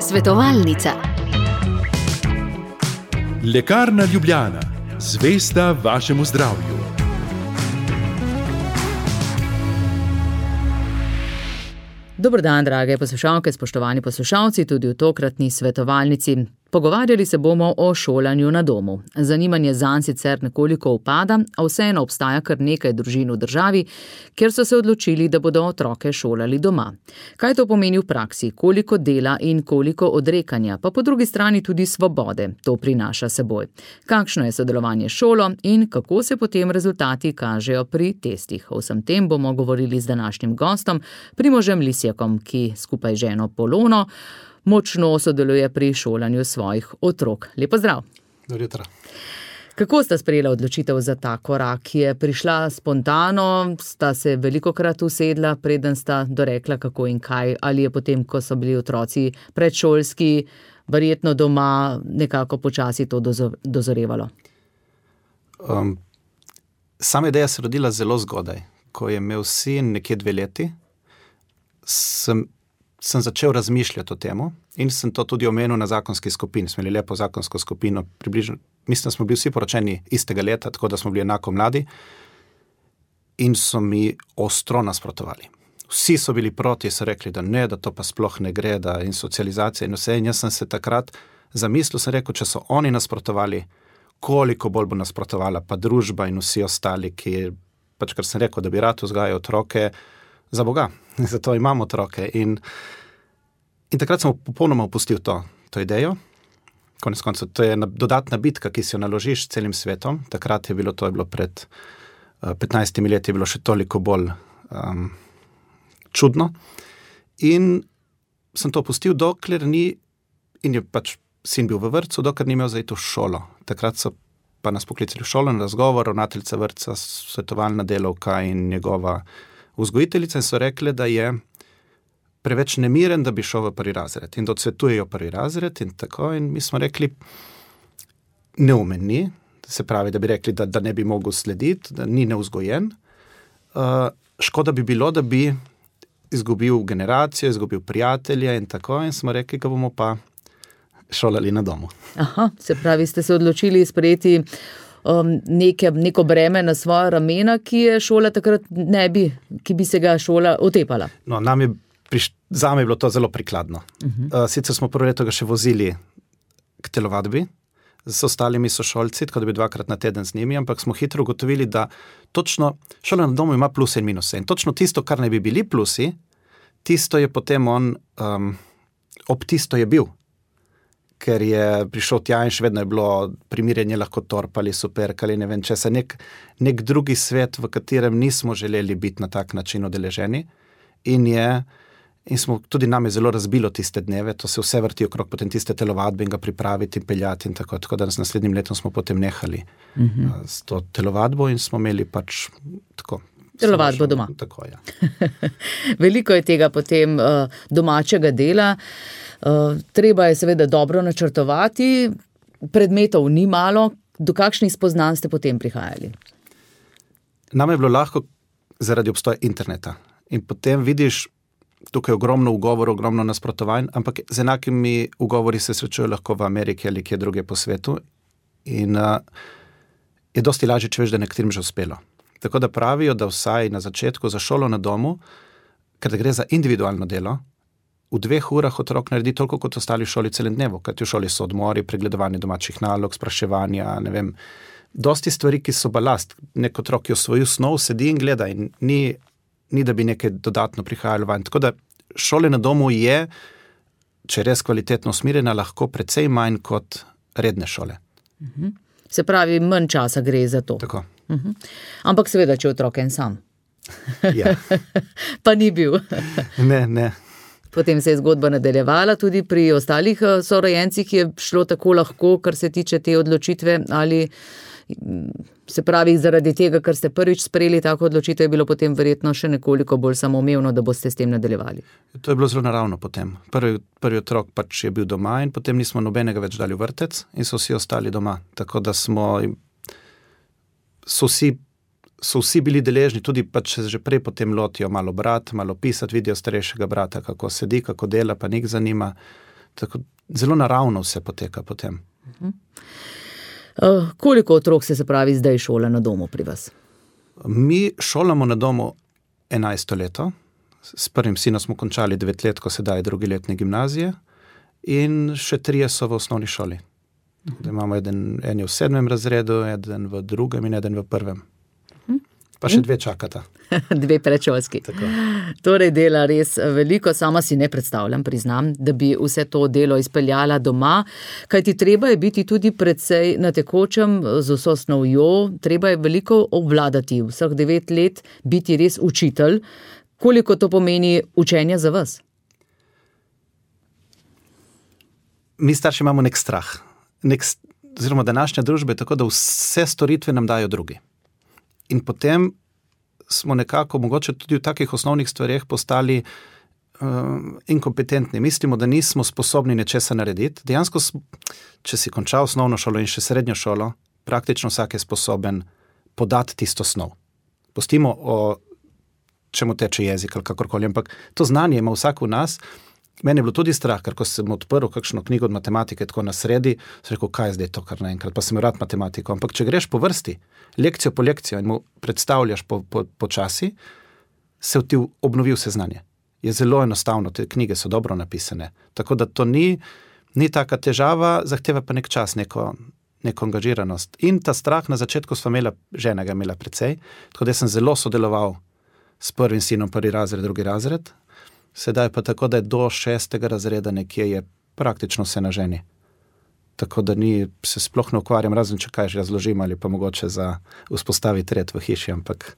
Svetovalnica. Lekarna Ljubljana, zvesta vašemu zdravju. Dober dan, drage poslušalke, spoštovani poslušalci, tudi v tokratni svetovalnici. Pogovarjali se bomo o šolanju na domu. Zanimanje zanj sicer nekoliko upada, a vseeno obstaja kar nekaj družin v državi, kjer so se odločili, da bodo otroke šolali doma. Kaj to pomeni v praksi, koliko dela in koliko odrekanja, pa po drugi strani tudi svobode to prinaša seboj. Kakšno je sodelovanje s šolo in kako se potem rezultati kažejo pri testih. O vsem tem bomo govorili z današnjim gostom, Primožem Lisjakom, ki skupaj z ženo Polono močno sodeluje pri šolanju svojih otrok. Lep pozdrav. Dobro jutro. Kako sta sprejela odločitev za ta korak? Je prišla spontano, sta se velikokrat usedla, preden sta dorekla kako in kaj, ali je potem, ko so bili otroci predšolski, verjetno doma nekako počasi to dozorevalo? Sama ideja se rodila zelo zgodaj. Ko je imel sin nekje 2 leti, sem začel razmišljati o temu in sem to tudi omenil na zakonski skupini. Smo imeli lepo zakonsko skupino, približno, mislim, da smo bili vsi poročeni istega leta, tako da smo bili enako mladi in so mi ostro nasprotovali. Vsi so bili proti, so rekli, da ne, da to pa sploh ne gre, da in socializacija in vse. In jaz sem se takrat zamislil, sem rekel, če so oni nasprotovali, koliko bolj bo nasprotovala pa družba in vsi ostali, ki pač, ker sem rekel, da bi rad vzgajal otroke za Boga. Zato imamo otroke. In takrat sem popolnoma opustil to idejo. Konec koncev, to je dodatna bitka, ki si jo naložiš celim svetom. Takrat je bilo pred 15 leti, je bilo še toliko bolj čudno. In sem to opustil, dokler ni, in je pač sin bil v vrtcu, dokler ni imel za iti v šolo. Takrat so pa nas poklicali v šolo na razgovor, ravnateljica vrtca, svetovalna delavka in njegova vzgojiteljica, in so rekli, da je preveč nemiren, da bi šel v 1. razred in da odsvetujejo 1. razred in tako. In mi smo rekli, neumen ni, se pravi, da bi rekli, da ne bi mogel slediti, da ni nevzgojen. Škoda bi bilo, da bi izgubil generacijo, izgubil prijatelje in tako. In smo rekli, ga bomo pa šolali na domu. Aha, se pravi, ste se odločili sprejeti neko breme na svoja ramena, ki je šola takrat ki bi se ga šola otepala. No, zame je bilo to zelo prikladno. Sicer smo prvo leto ga še vozili k telovadbi z ostalimi sošolci, tako da bi 2-krat na teden z njimi, ampak smo hitro ugotovili, da točno šola na domu ima pluse in minuse. In točno tisto, kar ne bi bili plusi, tisto je potem on, ob tisto je bil. Ker je prišel tja in še vedno je bilo primirjenje lahko torp ali superk ali ne vem česa, nek drugi svet, v katerem nismo želeli biti na tak način udeleženi in smo tudi name zelo razbilo tiste dneve, to se vse vrti okrog potem tiste telovadbe in ga pripraviti in peljati in tako da s naslednjim letom smo potem nehali s to telovadbo in smo imeli pač tako. Telovadbo doma. Tako, ja. Veliko je tega potem domačega dela. Treba je seveda dobro načrtovati, predmetov ni malo. Do kakšnih spoznanj ste potem prihajali? Nam je bilo lahko zaradi obstoja interneta. In potem vidiš, tukaj ogromno ugovorov, ogromno nasprotovanj, ampak z enakimi ugovori se srečujejo lahko v Ameriki ali kje druge po svetu. In je dosti lažje, če veš, da nekaterim že uspelo. Tako da pravijo, da vsaj na začetku za šolo na domu, ker gre za individualno delo, v 2 urah otrok naredi toliko kot ostali v šoli celem dnevu, kajti v šoli so odmori, pregledovanje domačih nalog, spraševanja, ne vem, dosti stvari, ki so balast. Nek otrok je osvojil snov, sedi in gleda in ni da bi nekaj dodatno prihajalo van. Tako da šole na domu je, če je res kvalitetno usmerjena, lahko precej manj kot redne šole. Se pravi, manj časa gre za to. Tako. Ampak seveda, če otrok en sam. Ja. Pa ni bil. Ne. Potem se je zgodba nadaljevala tudi pri ostalih sorojencih, je šlo tako lahko, kar se tiče te odločitve, ali se pravi zaradi tega, ker ste prvič sprejeli tako odločitev, je bilo potem verjetno še nekoliko bolj samoumevno, da boste s tem nadaljevali. To je bilo zelo naravno potem. Prvi otrok pač je bil doma in potem nismo nobenega več dali v vrtec in so vsi ostali doma. Tako da so vsi so vsi bili deležni, tudi pa če že prej potem lotijo malo brat, malo pisati, vidijo starejšega brata, kako sedi, kako dela, pa njih zanima. Tako zelo naravno vse poteka potem. Koliko otrok se pravi zdaj šola na domu pri vas? Mi šolamo na domu 11. leto. S prvim sinom smo končali 9 let, ko sedaj je drugi letnik gimnazije in še 3 so v osnovni šoli. Da imamo en je v 7. razredu, eden v 2. in eden v 1. Pa še 2 čakata. 2 predšolski. Tako. Torej dela res veliko, sama si ne predstavljam, priznam, da bi vse to delo izpeljala doma, kajti treba je biti tudi precej na tekočem z vso snovjo, treba je veliko obvladati, vseh 9 let biti res učitelj. Koliko to pomeni učenja za vas? Mi starši imamo nek strah. Oziroma današnja družba je tako, da vse storitve nam dajo drugi. In potem smo nekako, mogoče tudi v takih osnovnih stvareh, postali inkompetentni. Mislimo, da nismo sposobni nečesa narediti. Dejansko, če si končal osnovno šolo in še srednjo šolo, praktično vsak je sposoben podati tisto snov. Pustimo o čemu teče jezik ali kakorkoli, ampak to znanje ima vsak v nas. Meni je bilo tudi strah, ker ko sem odprl kakšno knjigo od matematike, tako na sredi, sem rekel, kaj je zdaj to kar naenkrat, pa sem rad matematiko. Ampak če greš po vrsti, lekcijo po lekcijo in mu predstavljaš po časi, se ti obnovi vse znanje. Je zelo enostavno, te knjige so dobro napisane. Tako da to ni taka težava, zahteva pa nek čas, neko angažiranost. In ta strah na začetku sva imela, žena ga imela precej, tako da sem zelo sodeloval s prvim sinom, 1. razred, 2. razred. Sedaj pa tako, da je do 6. razreda nekje je praktično vse na ženi. Tako da se sploh ne ukvarjam, razen če kaj že razložim ali pa mogoče za vzpostaviti red v hiši, ampak...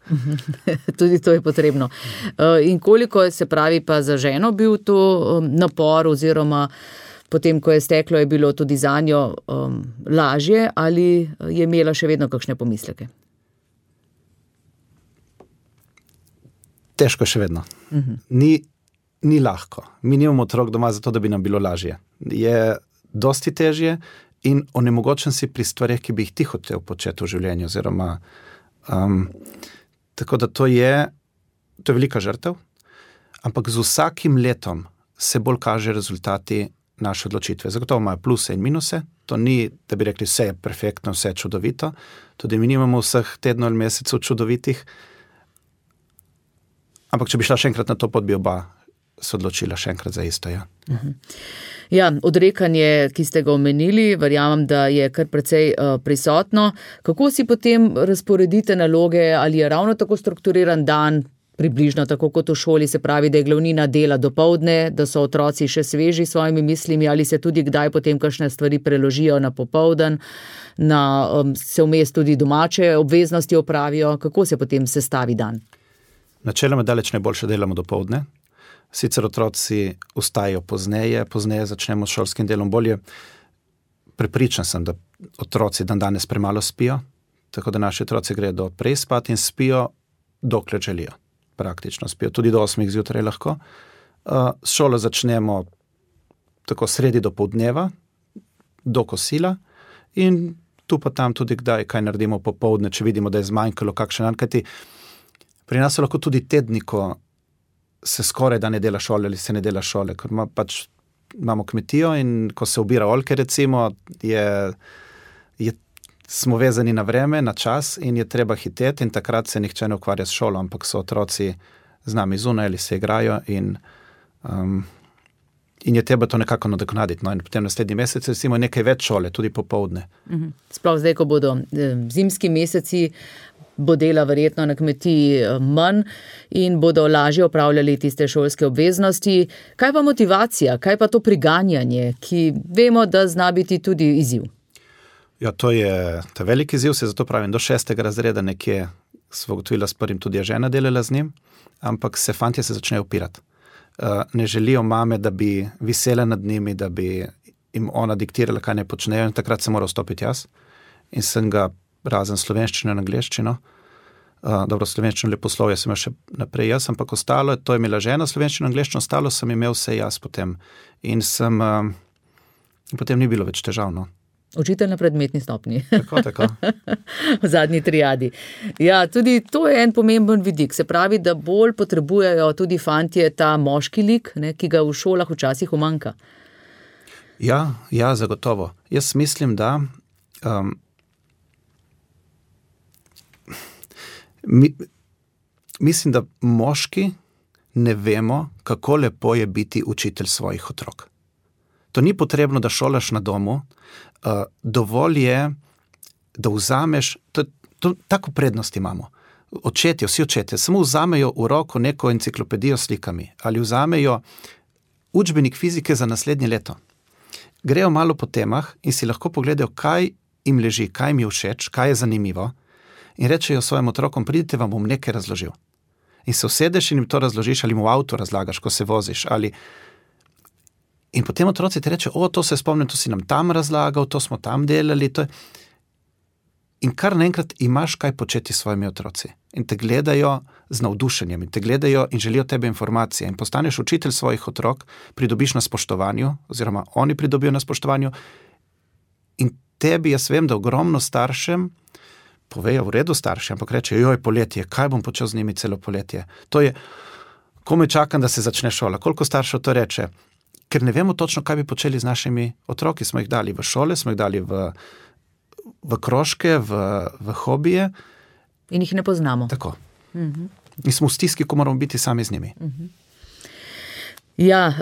Tudi to je potrebno. In koliko se pravi pa za ženo bil to napor oziroma potem, ko je steklo, je bilo tudi zanjo lažje ali je imela še vedno kakšne pomisleke? Težko še vedno. Ni lahko. Mi nimamo otrok doma zato, da bi nam bilo lažje. Je dosti težje in onemogočen si pri stvareh, ki bi jih ti hotel početi v življenju. Oziroma, tako da to je velika žrtev, ampak z vsakim letom se bolj kaže rezultati naše odločitve. Zagotovo imajo pluse in minuse. To ni, da bi rekli, vse je perfektno, vse je čudovito. Tudi mi nimamo vseh tednov ali mesecev čudovitih. Ampak če bi šla še enkrat na to pot, bi oba se odločila še enkrat za isto, ja. Ja, odrekanje, ki ste ga omenili, verjamem, da je kar precej prisotno. Kako si potem razporedite naloge, ali je ravno tako strukturiran dan, približno tako kot v šoli, se pravi, da je glavnina dela dopoldne, da so otroci še sveži s svojimi mislimi, ali se tudi kdaj potem kakšne stvari preložijo na popoldan, se vmes tudi domače obveznosti opravijo, kako se potem sestavi dan? Načeloma daleč najboljše delamo dopoldne. Sicer otroci vstajajo pozneje začnemo s šolskim delom bolje. Prepričan sem, da otroci danes premalo spijo, tako da naši otroci gredo prej spat in spijo, dokler želijo. Praktično spijo, tudi do 8 zjutraj lahko. S šolo začnemo tako sredi dopoldneva, do kosila in tu pa tam tudi kdaj kaj naredimo popoldne, če vidimo, da je zmanjkalo kakšen dan, kajti pri nas so lahko tudi tedni, ko se skoraj da ne dela šole ali se ne dela šole, ker imamo kmetijo in ko se obira oljke recimo, smo vezani na vreme, na čas in je treba hiteti in takrat se nihče ne ukvarja s šolo, ampak so otroci z nami zunaj ali se igrajo in je treba to nekako nadoknaditi. No, in potem naslednji mesec recimo nekaj več šole, tudi popoldne. Sploh zdaj, ko bodo zimski meseci, bo dela verjetno na kmetiji manj in bodo lažje opravljali tiste šolske obveznosti. Kaj pa motivacija, kaj pa to priganjanje, ki vemo, da zna biti tudi izziv? Ja, to je velik izziv, se zato pravim, do 6. razreda nekje sva ugotovila s prvim, tudi je žena delala z njim, ampak fantje se začnejo upirati. Ne želijo mame, da bi visela nad njimi, da bi jim ona diktirala, kaj ne počnejo, in takrat se mora vstopiti jaz. In sem ga razen slovenščino in angleščino, dobro, slovenščino leposlovje sem imel še naprej jaz, ampak ostalo, to je imela žena, slovenščino in angleščino, ostalo sem imel vse jaz potem. In potem ni bilo več težavno. Učitelj na predmetni stopnji. Tako. V zadnji triadi. Ja, tudi to je en pomemben vidik. Se pravi, da bolj potrebujejo tudi fantje ta moški lik, ne, ki ga v šolah včasih umanjka. Ja, zagotovo. Jaz mislim, da mislim, da moški ne vemo, kako lepo je biti učitelj svojih otrok. To ni potrebno, da šolaš na domu, dovolj je, da vzameš, tako prednost imamo. Vsi očetje, samo vzamejo v roko neko enciklopedijo s slikami ali vzamejo učbenik fizike za naslednje leto. Grejo malo po temah in si lahko pogledajo, kaj jim leži, kaj jim je všeč, kaj je zanimivo in rečejo svojim otrokom, pridite, vam bom nekaj razložil. In se usedeš in jim to razložiš ali mu v avtu razlagaš, ko se voziš. In potem otroci ti rečejo, to se spomnim, to si nam tam razlagal, to smo tam delali. In kar naenkrat imaš kaj početi s svojimi otroci. In te gledajo z navdušenjem, in te gledajo in želijo tebe informacije. In postaneš učitelj svojih otrok, pridobiš na spoštovanju, oziroma oni pridobijo na spoštovanju. In tebi, jaz vem, da ogromno staršem povejo, v redu starši, ampak reče, poletje, kaj bom počel z njimi celo poletje? To je, komaj čakam, da se začne šola. Koliko staršev to reče? Ker ne vemo točno, kaj bi počeli z našimi otroki. Smo jih dali v šole, smo jih dali v krožke, v hobije. In jih ne poznamo. Tako. In smo v stiski, ko moramo biti sami z njimi. Ja,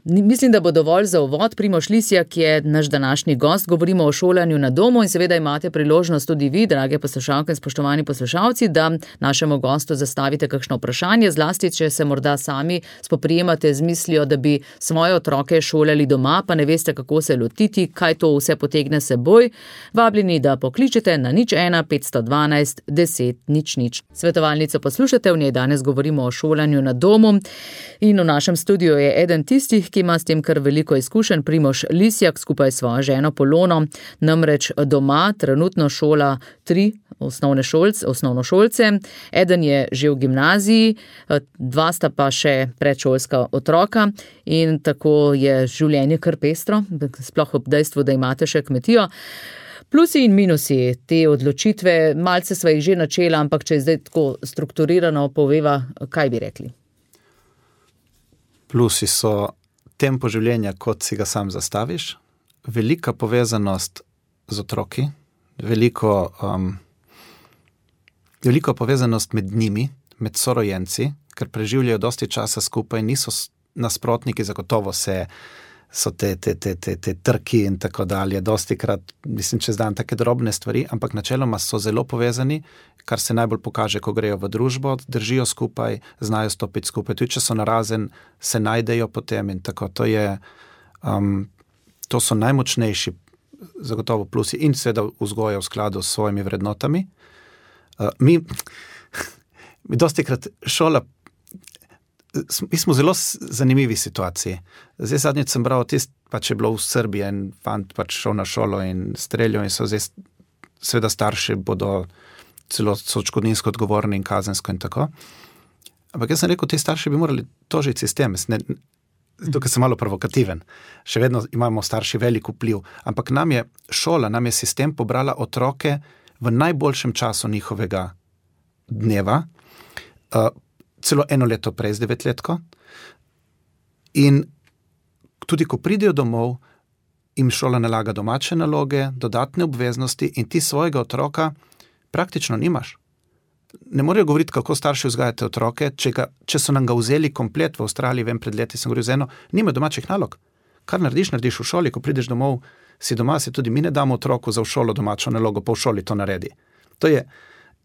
mislim, da bo dovolj za uvod. Primož Lisjak je naš današnji gost. Govorimo o šolanju na domu in seveda imate priložnost tudi vi, drage poslušalke in spoštovani poslušalci, da našemu gostu zastavite kakšno vprašanje, zlasti, če se morda sami spoprijemate z mislijo, da bi svoje otroke šolali doma, pa ne veste, kako se lotiti, kaj to vse potegne seboj. Vabljeni, da pokličete na 01 512 10 00. Svetovalnico poslušate, v njej danes govorimo o šolanju na domu in v našem studiu je eden tistih, ki ima s tem kar veliko izkušenj, Primož Lisjak skupaj s svojo ženo Polono, namreč doma trenutno šola 3 osnovnošolce. Eden je že v gimnaziji, 2 sta pa še predšolska otroka in tako je življenje kar pestro, sploh ob dejstvu, da imate še kmetijo. Plusi in minusi te odločitve, malce sva jih že načela, ampak če je zdaj tako strukturirano poveva, kaj bi rekli? Plusi so tempo življenja, kot si ga sam zastaviš, velika povezanost z otroki, veliko povezanost med njimi, med sorojenci, ker preživljajo dosti časa skupaj, niso nasprotniki, zagotovo so te trki in tako dalje, dosti krat, mislim, čez dan take drobne stvari, ampak načeloma so zelo povezani, kar se najbolj pokaže, ko grejo v družbo, držijo skupaj, znajo stopiti skupaj, tudi če so narazen, se najdejo potem in tako, to so najmočnejši zagotovo plusi in seveda vzgoja v skladu s svojimi vrednotami. Mi dosti krat šola, mi smo v zelo zanimivi situaciji. Zdaj zadnjič sem bral, pač je bilo v Srbiji en fant pač šel na šolo in streljal in so zdaj seveda starši bodo celo odškodninsko odgovorni in kazensko in tako. Ampak jaz sem rekel, te starši bi morali tožiti sistem. Tukaj sem malo provokativen. Še vedno imamo starši velik vpliv. Ampak nam je sistem pobrala otroke v najboljšem času njihovega dneva, celo 1 leto prej z 9-letko. In tudi, ko pridejo domov, jim šola nalaga domače naloge, dodatne obveznosti in ti svojega otroka praktično nimaš. Ne morejo govoriti, kako starši vzgajate otroke, če so nam ga vzeli komplet v Avstraliji, vem, pred leti sem govoril z eno, nima domačih nalog. Kar narediš v šoli, ko prideš domov, si doma, si tudi mi ne damo otroku za v šolo domačo nalogo, pa v šoli to naredi.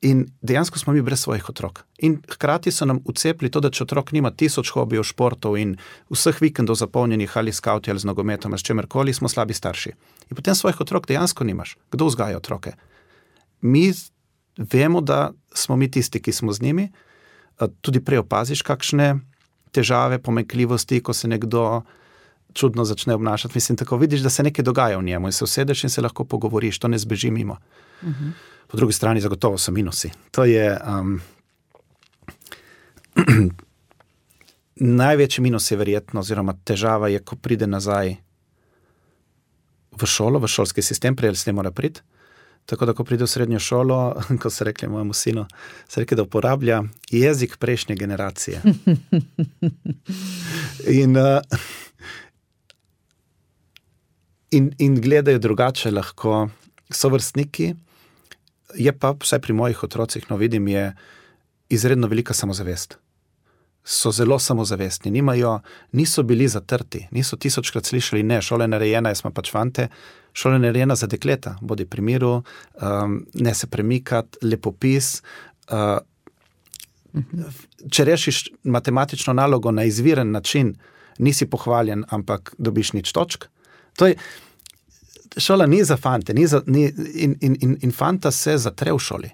In dejansko smo mi brez svojih otrok. In hkrati so nam vcepili to, da če otrok nima 1000 hobijev, športov in vseh vikendov zapolnjenih ali skauti ali z nogometom ali s čemerkoli, smo slabi starši. In potem svojih otrok dejansko nimaš. Kdo vzgaja otroke? Mi vemo, da smo mi tisti, ki smo z njimi. Tudi prej opaziš kakšne težave, pomanjkljivosti, ko se nekdo čudno začne obnašati. Mislim, tako vidiš, da se nekaj dogaja v njemu in se usedeš in se lahko pogovoriš, to ne zbeži mimo. Po drugi strani zagotovo so minusi. To je največji minus je verjetno, oziroma težava je, ko pride nazaj v šolo, v šolski sistem, prej se ne mora priti. Tako da, ko pride v srednjo šolo, ko so rekli mojemu sinu, so rekli, da uporablja jezik prejšnje generacije. In gledajo drugače lahko sovrstniki. Je pa, vsaj pri mojih otrocih, vidim, je izredno velika samozavest. So zelo samozavestni, niso bili zatrti, niso 1000krat slišali, ne, šola je narejena, jaz smo pač fante, šola je narejena za dekleta, bodi pri miru, ne se premikati, lepopis. Če rešiš matematično nalogo na izviren način, nisi pohvaljen, ampak dobiš nič točk. To je, šola ni za fante, in fanta se zatre v šoli.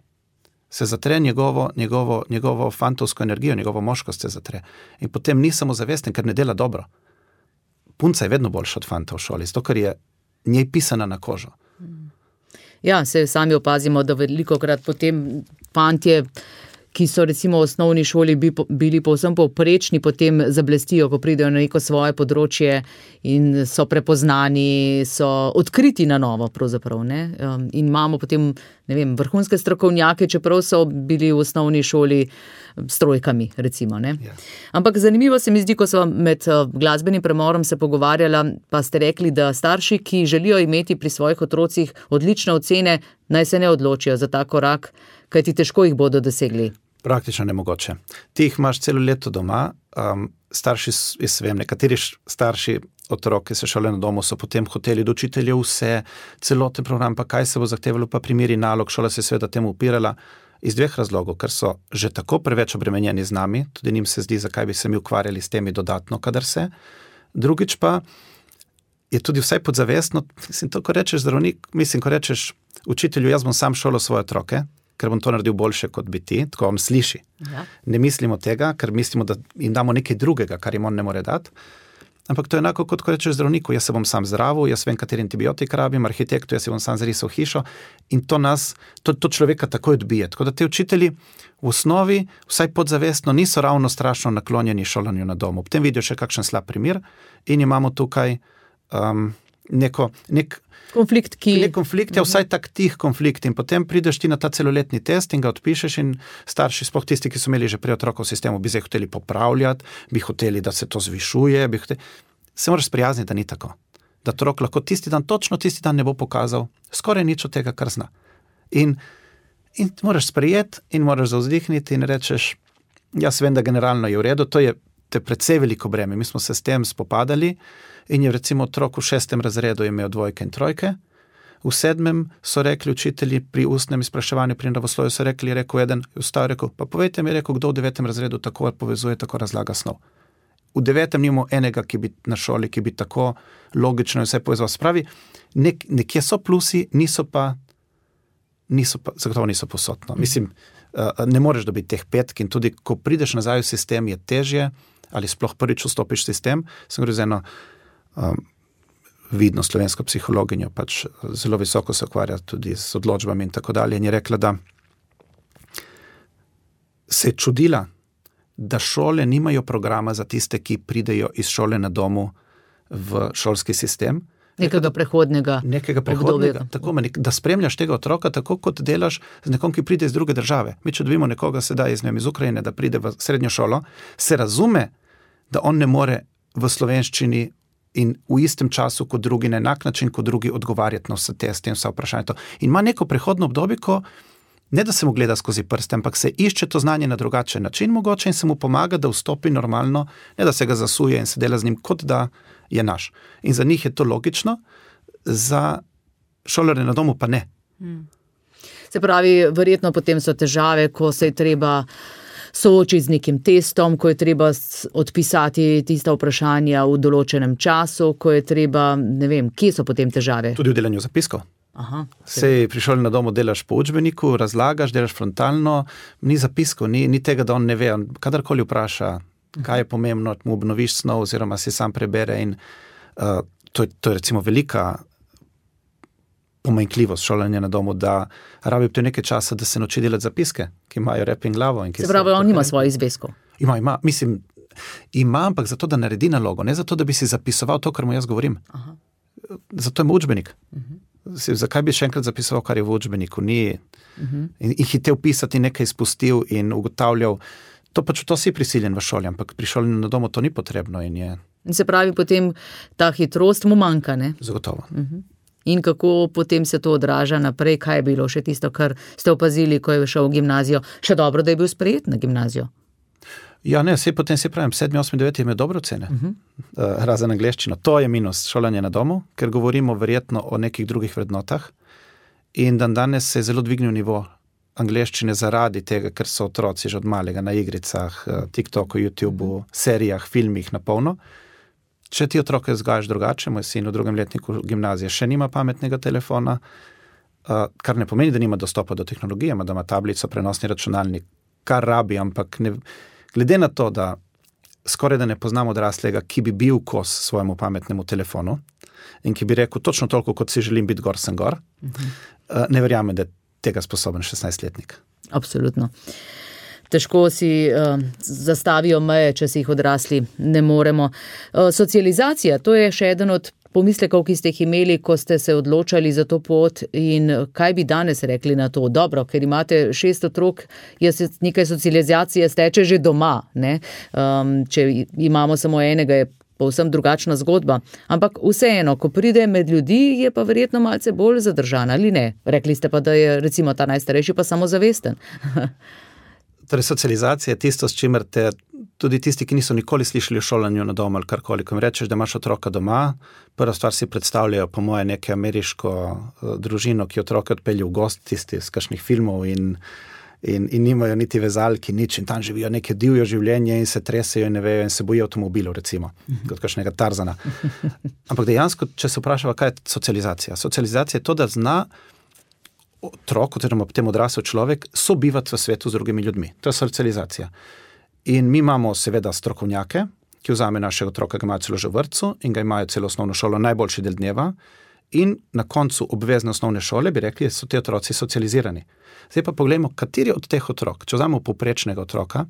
Se zatre njegovo fantovsko energijo, njegovo moškost se zatre. In potem ni samozavesten, ker ne dela dobro. Punca je vedno boljša od fanta v šoli, zato ker je njej pisana na kožo. Ja, se sami opazimo, da velikokrat potem fantje, ki so recimo v osnovni šoli bili povsem povprečni, potem zablestijo, ko pridejo na neko svoje področje in so prepoznani, so odkriti na novo pravzaprav, ne? In imamo potem, ne vem, vrhunske strokovnjake, čeprav so bili v osnovni šoli s trojkami, recimo, ne? Ja. Ampak zanimivo se mi zdi, ko so med glasbenim premorom se pogovarjala, pa ste rekli, da starši, ki želijo imeti pri svojih otrocih odlične ocene, naj se ne odločijo za ta korak, kajti težko jih bodo dosegli. Praktično nemogoče. Ti jih imaš celo leto doma, starši, jaz vem, nekateri starši otrok, ki se šole na domu, so potem hoteli do učiteljev vse, celoten program, pa kaj se bo zahtevalo, pa primeri nalog, šola se je seveda temu upirala iz 2 razlogov, ker so že tako preveč obremenjeni z nami, tudi njim se zdi, zakaj bi se mi ukvarjali s temi dodatno, kadar se. Drugič pa je tudi vsaj podzavestno, to, ko rečeš zdravnik, ko rečeš učitelju, jaz bom sam šolo svoje otroke, ker bom to naredil boljše, kot bi ti, tako vam sliši. Ja. Ne mislimo tega, ker mislimo, da jim damo nekaj drugega, kar jim on ne more dati. Ampak to je enako, kot ko rečeš zdravniku, jaz se bom sam zdravil, jaz vem, kateri antibiotik rabim, arhitektu, jaz se bom sam zarisal hišo in to človeka takoj odbije. Tako da te učitelji v osnovi, vsaj podzavestno, niso ravno strašno naklonjeni šolanju na domu. Potem vidijo še kakšen slab primer in imamo tukaj nek konflikt, je vsaj tak tih konflikt in potem prideš ti na ta celoletni test in ga odpišeš in starši, sploh tisti, ki so imeli že prej otroka v sistemu, bi zdaj hoteli popravljati, bi hoteli, da se to zvišuje, se moraš sprijazniti, da ni tako. Da otrok lahko točno tisti dan ne bo pokazal skoraj nič od tega, kar zna. In moraš sprejeti in moraš zavzdihniti in rečeš, jaz vem, da generalno je v redu, to je precej veliko breme. Mi smo se s tem spopadali in je recimo otrok v 6. razredu imel 2 in 3, v 7. so rekli učitelji pri ustnem izpraševanju pri naravoslovju, so rekli, rekel eden, pa povejte mi, kdo v 9. razredu tako povezuje, tako razlaga snov. V 9. nimamo enega, ki bi na šoli, ki bi tako logično vse povezal. Spravi, nekje so plusi, zagotovo niso posodno. Mislim, ne moreš dobiti teh 5 in tudi, ko prideš nazaj v sistem, je težje, ali sploh prvič vstopiš v sistem. Sem govoril z eno vidno slovensko psihologinjo, pač zelo visoko se ukvarja tudi z odločbami in tako dalje, in je rekla, da se je čudila, da šole nimajo programa za tiste, ki pridejo iz šole na domu v šolski sistem. Nekega prehodnega obdobja. Tako, da spremljaš tega otroka tako, kot delaš z nekom, ki pride iz druge države. Mi, če dobimo nekoga sedaj iz Ukrajine, da pride v srednjo šolo, se razume, da on ne more v slovenščini in v istem času kot drugi, na enak način kot drugi odgovarjati na vse teste in vse vprašanje. In ima neko prehodno obdobje, ko ne da se mu gleda skozi prste, ampak se išče to znanje na drugačen način mogoče in se mu pomaga, da vstopi normalno, ne da se ga zasuje in se dela z njim, kot da je naš. In za njih je to logično, za šolarje na domu pa ne. Se pravi, verjetno potem so težave, ko se je treba soočiti z nekim testom, ko je treba odpisati tista vprašanja v določenem času, ko je treba, ne vem, kje so potem težave? Tudi v delanju zapiskov. Sej pri šoli na domu delaš po učbeniku, razlagaš, delaš frontalno, ni zapiskov, ni tega, da on ne ve, on kadarkoli vpraša, kaj je pomembno, mu obnoviš snov oziroma si sam prebere in to je recimo velika pomanjkljivost šolanja na domu, da rabi to nekaj časa, da se nauči delati zapiske, ki imajo rep in glavo. In se pravi, on nima svojih zvezkov. Ima, ampak zato, da naredi nalogo, ne zato, da bi si zapisoval to, kar mu jaz govorim. Zato ima učbenik. Zakaj bi še enkrat zapisoval, kar je v učbeniku? Ni. In hitel pisati, nekaj izpustil in ugotavljal. To si prisiljen v šoli, ampak pri šolanju na domu to ni potrebno. In se pravi, potem ta hitrost mu manjka, ne? Zagotovo. In kako potem se to odraža naprej? Kaj je bilo še tisto, kar ste opazili, ko je šel v gimnazijo? Še dobro, da je bil sprejet na gimnazijo? Ja, ne, potem si pravim, 7, 8, 9 ima dobre ocene. Razen angleščino. To je minus šolanje na domu, ker govorimo verjetno o nekih drugih vrednotah. In danes se je zelo dvignil nivo angleščine zaradi tega, ker so otroci že od malega na igricah, TikToku, YouTubeu, serijah, filmih na polno. Če ti otroke vzgajaš drugače, moj sin v 2. letniku gimnazije še nima pametnega telefona, kar ne pomeni, da nima dostopa do tehnologije, da ima tablico, prenosni računalnik, kar rabi, ampak glede na to, da skoraj da ne poznam odraslega, ki bi bil kos svojemu pametnemu telefonu in ki bi rekel točno toliko, kot si želim biti, gor sem gor, ne verjamem, da je tega sposoben 16-letnik. Absolutno. Težko si zastavijo meje, če si jih odrasli ne moremo. Socializacija, to je še eden od pomislekov, ki ste jih imeli, ko ste se odločali za to pot, in kaj bi danes rekli na to? Dobro, ker imate 6 otrok, nekaj socializacije steče že doma, ne? Če imamo samo enega, je povsem drugačna zgodba. Ampak vseeno, ko pride med ljudi, je pa verjetno malce bolj zadržana, ali ne? Rekli ste pa, da je recimo ta najstarejši pa samozavesten. Torej, socializacija je tisto, s čimer tudi tisti, ki niso nikoli slišali o šolanju na domu ali karkoli, ko mi rečeš, da imaš otroka doma, prva stvar si predstavljajo, po moje, neke ameriško družino, ki otroke odpelje v gost, tisti iz kakšnih filmov in nimajo niti vezalki, nič, in tam živijo neke divjo življenje in se tresejo in ne vejo in se bojijo avtomobilov, recimo, kot kakšnega Tarzana. Ampak dejansko, če se vprašava, kaj je socializacija? Socializacija je to, da zna otrok, oziroma potem odrasel človek, sobivati v svetu z drugimi ljudmi. To je socializacija. In mi imamo seveda strokovnjake, ki vzame našega otroka, ga imajo celo že v vrtcu in ga imajo celo osnovno šolo, najboljši del dneva, in na koncu obvezne osnovne šole bi rekli, da so ti otroci socializirani. Zdaj pa poglejmo, kateri od teh otrok, če vzamemo povprečnega otroka,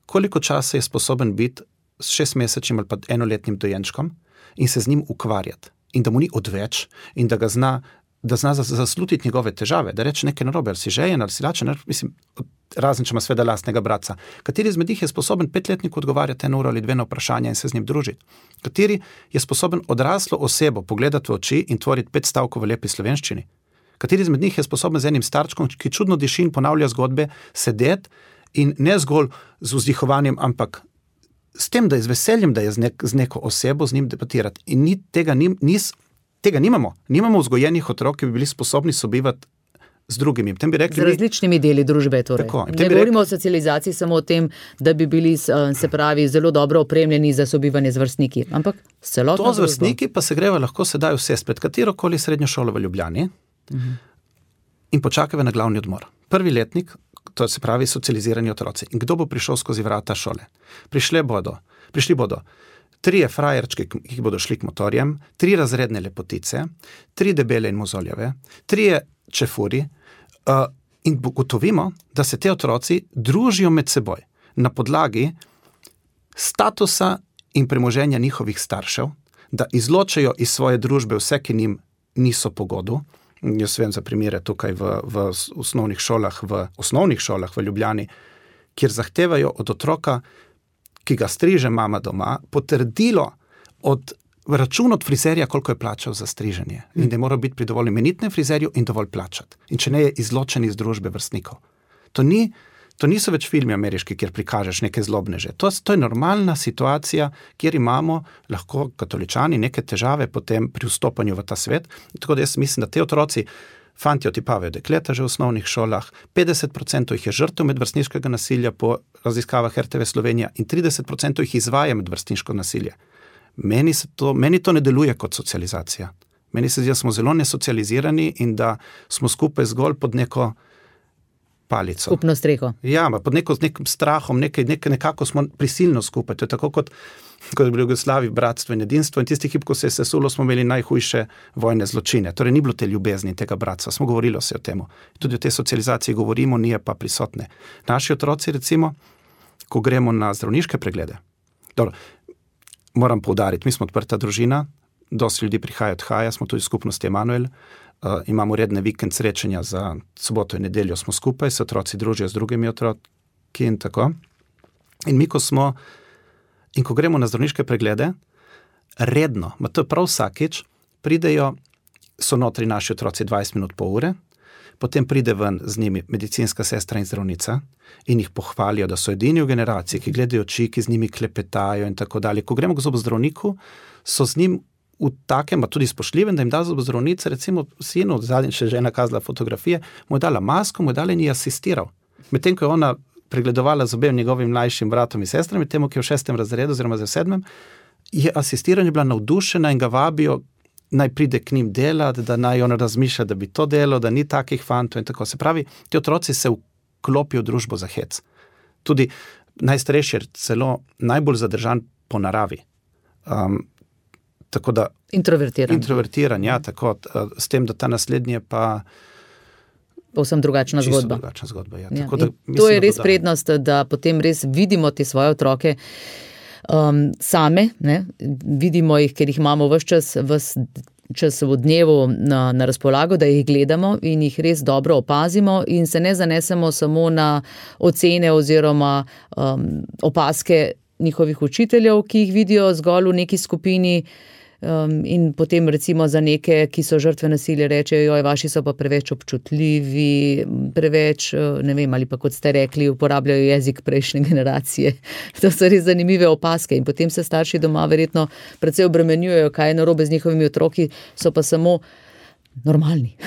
koliko časa je sposoben biti s 6-mesečnim ali pa 1-letnim dojenčkom in se z njim ukvarjati. In da mu ni odveč in da ga zna zaslutiti njegove težave, da reče nekaj narobe, ali si žejen, ali si lačen, mislim, razen če ima sveda lastnega bratca. Kateri izmed njih je sposoben 5-letniku odgovarjati 1 uro ali 2 na vprašanja in se z njim družiti? Kateri je sposoben odraslo osebo pogledati v oči in tvoriti 5 stavkov v lepi slovenščini? Kateri izmed njih je sposoben z enim starčkom, ki čudno diši in ponavlja zgodbe, sedeti in ne zgolj z vzdihovanjem, ampak s tem, da je z veseljem, da je z neko osebo, z njim debatirati. In tega nimamo. Nimamo vzgojenih otrok, ki bi bili sposobni sobivati z drugimi. Bi rekli, z različnimi deli družbe. Torej. Tako, ne govorimo o socializaciji samo o tem, da bi bili, se pravi, zelo dobro opremljeni za sobivanje z vrstniki, ampak celotno družbo. To z vrstniki pa se greva lahko sedaj vse spred katerokoli srednjo šolo v Ljubljani in počakava na glavni odmor. 1. letnik, to se pravi socializirani otroci. In kdo bo prišel skozi vrata šole? Prišli bodo 3 frajerčke, ki bodo šli k motorjem, 3 razredne lepotice, 3 debele in mozoljave, 3 čefuri, in gotovimo, da se te otroci družijo med seboj na podlagi statusa in premoženja njihovih staršev, da izločajo iz svoje družbe vse, ki njim niso po godu. Jaz vem za primere tukaj v osnovnih šolah v Ljubljani, kjer zahtevajo od otroka, ki ga striže mama doma, potrdilo račun od frizerja, koliko je plačal za striženje. In da mora biti pri dovolj imenitnem frizerju in dovolj plačati. In če ne, je izločen iz družbe vrstnikov. To niso več filmi ameriški, kjer prikažeš neke zlobneže. To je normalna situacija, kjer imamo lahko katoličani neke težave potem pri vstopanju v ta svet. Tako da jaz mislim, da te otroci, fantje otipavajo dekleta že v osnovnih šolah, 50% jih je žrtev medvrstniškega nasilja po raziskavah RTV Slovenija in 30% jih izvaja medvrstniško nasilje. Meni to ne deluje kot socializacija. Meni se zdi, da smo zelo nesocializirani in da smo skupaj zgolj pod neko palico. Skupno streho. Ja, pod nekim strahom, nekako smo prisilno skupaj. To je tako, kot je bilo v Jugoslaviji bratstvo in edinstvo in tisti hip, ko se je sesulo, smo imeli najhujše vojne zločine. Torej ni bilo te ljubezni tega bratstva, smo govorili se o temu. Tudi o tej socializaciji govorimo, nije pa prisotne. Naši otroci, recimo, ko gremo na zdravniške preglede. Dobro, moram poudariti, mi smo odprta družina, dosti ljudi prihaja, odhaja, smo tudi skupnosti Emanuel, imamo redne vikend srečanja za soboto in nedeljo, smo skupaj, se otroci družijo z drugimi otroki in tako. In mi, ko gremo na zdravniške preglede, redno, to je prav vsakič, pridejo, so notri naši otroci 20 minut pol ure, potem pride ven z njimi medicinska sestra in zdravnica in jih pohvalijo, da so edini v generaciji, ki gledajo oči, ki z njimi klepetajo in tako dalje. Ko gremo k zobozdravniku, so z njim v takem, pa tudi spoštljivem, da jim da zobozdravnica, recimo sinu, zadnjič še žena kazala fotografije, mu je dala masko, mu je dala in ji asistiral. Medtem, ko je ona pregledovala z obema njegovim mlajšim bratom in sestrami, temu, ki je v 6. razredu oziroma v 7. je asistiranje bila navdušena in ga vabijo, naj pride k njim delati, da naj on razmišlja, da bi to delo, da ni takih fantov in tako. Se pravi, ti otroci se vklopijo v družbo za hec. Tudi najstarejši je celo najbolj zadržan po naravi. Tako da... Introvertiran, ja, tako. S tem, da ta naslednji je pa... Povsem drugačna zgodba. Drugačna zgodba, ja. Ja. Tako da, to je res prednost, da potem res vidimo te svoje otroke same, ne? Vidimo jih, ker jih imamo ves čas v dnevu na razpolago, da jih gledamo in jih res dobro opazimo in se ne zanesemo samo na ocene oziroma opaske njihovih učiteljev, ki jih vidijo zgolj v neki skupini in potem recimo za neke, ki so žrtve nasilja, rečejo, joj, vaši so pa preveč občutljivi, preveč, ne vem, ali pa kot ste rekli, uporabljajo jezik prejšnje generacije. To so res zanimive opaske in potem se starši doma verjetno precej obremenjujejo, kaj je narobe z njihovimi otroki, so pa samo normalni.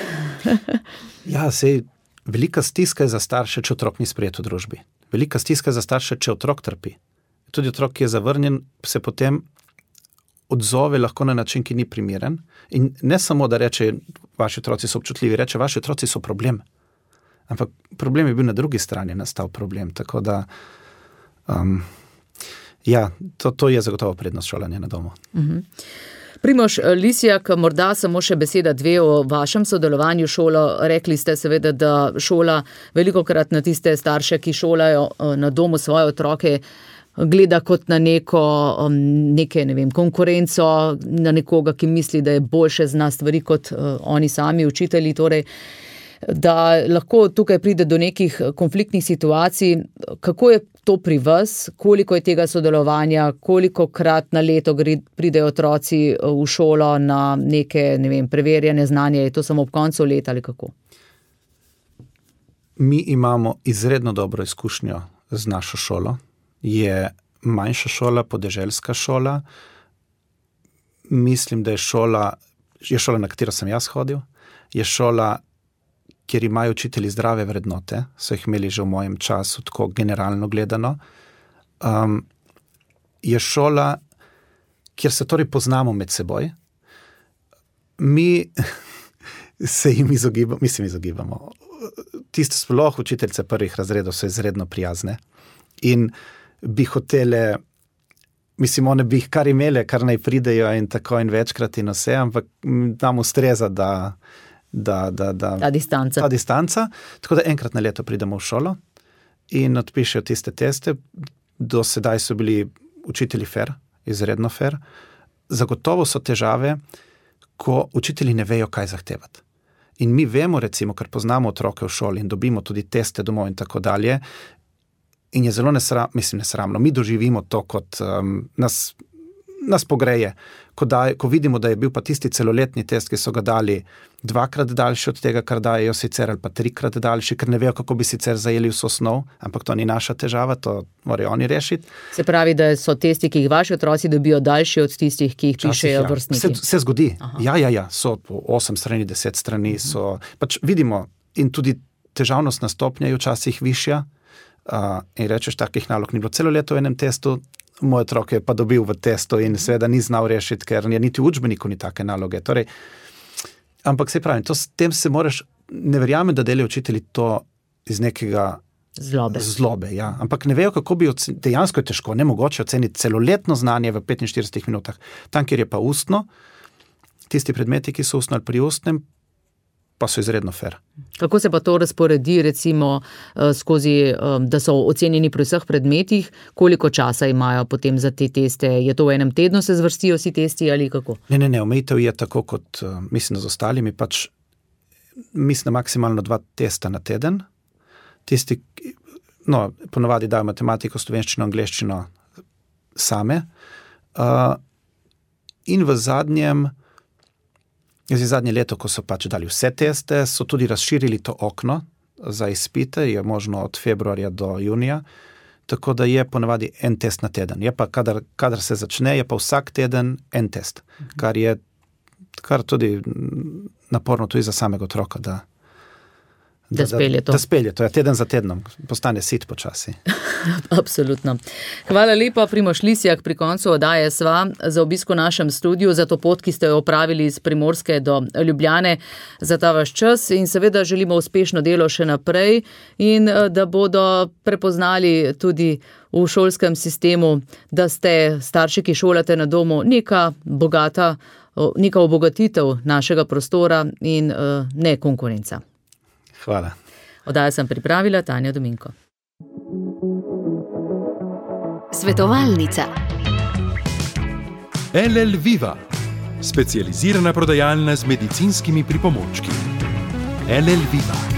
Ja, sej velika stiska je za starše, če otrok ni sprejet v družbi. Velika stiska je za starše, če otrok trpi. Tudi otrok, ki je zavrnjen, se potem odzove lahko na način, ki ni primeren. In ne samo, da reče, vaši otroci so občutljivi, reče, vaši otroci so problem. Ampak problem je bil na drugi strani, nastal problem. Tako da, ja, to je zagotovo prednost šolanja na domu. Primož Lisjak, morda samo še beseda dve o vašem sodelovanju šolo. Rekli ste seveda, da šola velikokrat na tiste starše, ki šolajo na domu svoje otroke, gleda kot na neke, ne vem, konkurenco, na nekoga, ki misli, da je boljše zna stvari kot oni sami učitelji, torej, da lahko tukaj pride do nekih konfliktnih situacij. Kako je to pri vas? Koliko je tega sodelovanja? Kolikokrat na leto pridejo otroci v šolo na neke, ne vem, preverjene znanje? Je to samo ob koncu leta ali kako? Mi imamo izredno dobro izkušnjo z našo šolo. Je manjša šola, podeželska šola. Mislim, da je šola, na katero sem jaz hodil, je šola, kjer imajo učitelji zdrave vrednote, so jih imeli že v mojem času, tako generalno gledano. Je šola, kjer se torej poznamo med seboj. Mi se jim izogibamo. Tiste sploh učiteljice prvih razredov so izredno prijazne in bi hotele, mislim, one bi jih kar imele, kar naj pridejo in tako in večkrat in vse, ampak nam ustreza, da ta distanca. Tako da enkrat na leto pridemo v šolo in odpišejo tiste teste. Do sedaj so bili učitelji fair, izredno fair. Zagotovo so težave, ko učitelji ne vejo, kaj zahtevati. In mi vemo, recimo, ker poznamo otroke v šoli in dobimo tudi teste domov in tako dalje, in je zelo nesramno. Mi doživimo to, kot nas pogreje, ko vidimo, da je bil pa tisti celoletni test, ki so ga dali 2-krat daljši od tega, kar dajejo sicer, ali pa 3-krat daljši, ker ne vejo, kako bi sicer zajeli vso snov, ampak to ni naša težava, to morajo oni rešiti. Se pravi, da so testi, ki jih vaši otroci dobijo, daljši od tistih, ki jih pišejo vrstniki. Se zgodi. Ja, so 8 strani, 10 strani, so, pač vidimo, in tudi težavnostna stopnja je včasih višja, in rečeš, takih nalog ni bilo celo leto v enem testu, moj otrok je pa dobil v testu in seveda ni znal rešiti, ker niti v učbeniku ni take naloge. Torej, ampak se pravi, s tem se moraš, ne verjamem, da delajo učitelji to iz nekega zlobe, ja. Ampak ne vejo, kako bi dejansko je težko, nemogoče oceniti celoletno znanje v 45 minutah. Tam, kjer je pa ustno, tisti predmeti, ki so ustno ali pri ustnem, pa so izredno fair. Kako se pa to razporedi, recimo skozi, da so ocenjeni pri vseh predmetih, koliko časa imajo potem za te teste? Je to v enem tednu se zvrstijo vsi testi ali kako? Ne, omejitev je tako kot, mislim, da z ostalimi, pač mislim maksimalno 2 testa na teden. Tisti, ponovadi dajo matematiko, slovenščino, angleščino same. In v zadnje leto, ko so pač dali vse teste, so tudi razširili to okno za izpite, je možno od februarja do junija, tako da je ponavadi en test na teden. Je pa, kadar se začne, je pa vsak teden en test, kar tudi naporno tudi za samega otroka, da spelje to. Da spelje to, teden za tednom, postane sit počasi. Absolutno. Hvala lepa, Primož Lisjak, pri koncu oddaje sva za obisk v našem studiu, za to pot, ki ste jo opravili iz Primorske do Ljubljane, za ta vaš čas in seveda želimo uspešno delo še naprej in da bodo prepoznali tudi v šolskem sistemu, da ste starši, ki šolate na domu, neka obogatitev našega prostora in ne konkurenca. Hvala. Oddajo sem pripravila Tanja Dominko. Svetovalnica. LL Viva, specializirana prodajalna z medicinskimi pripomočki. LL Viva.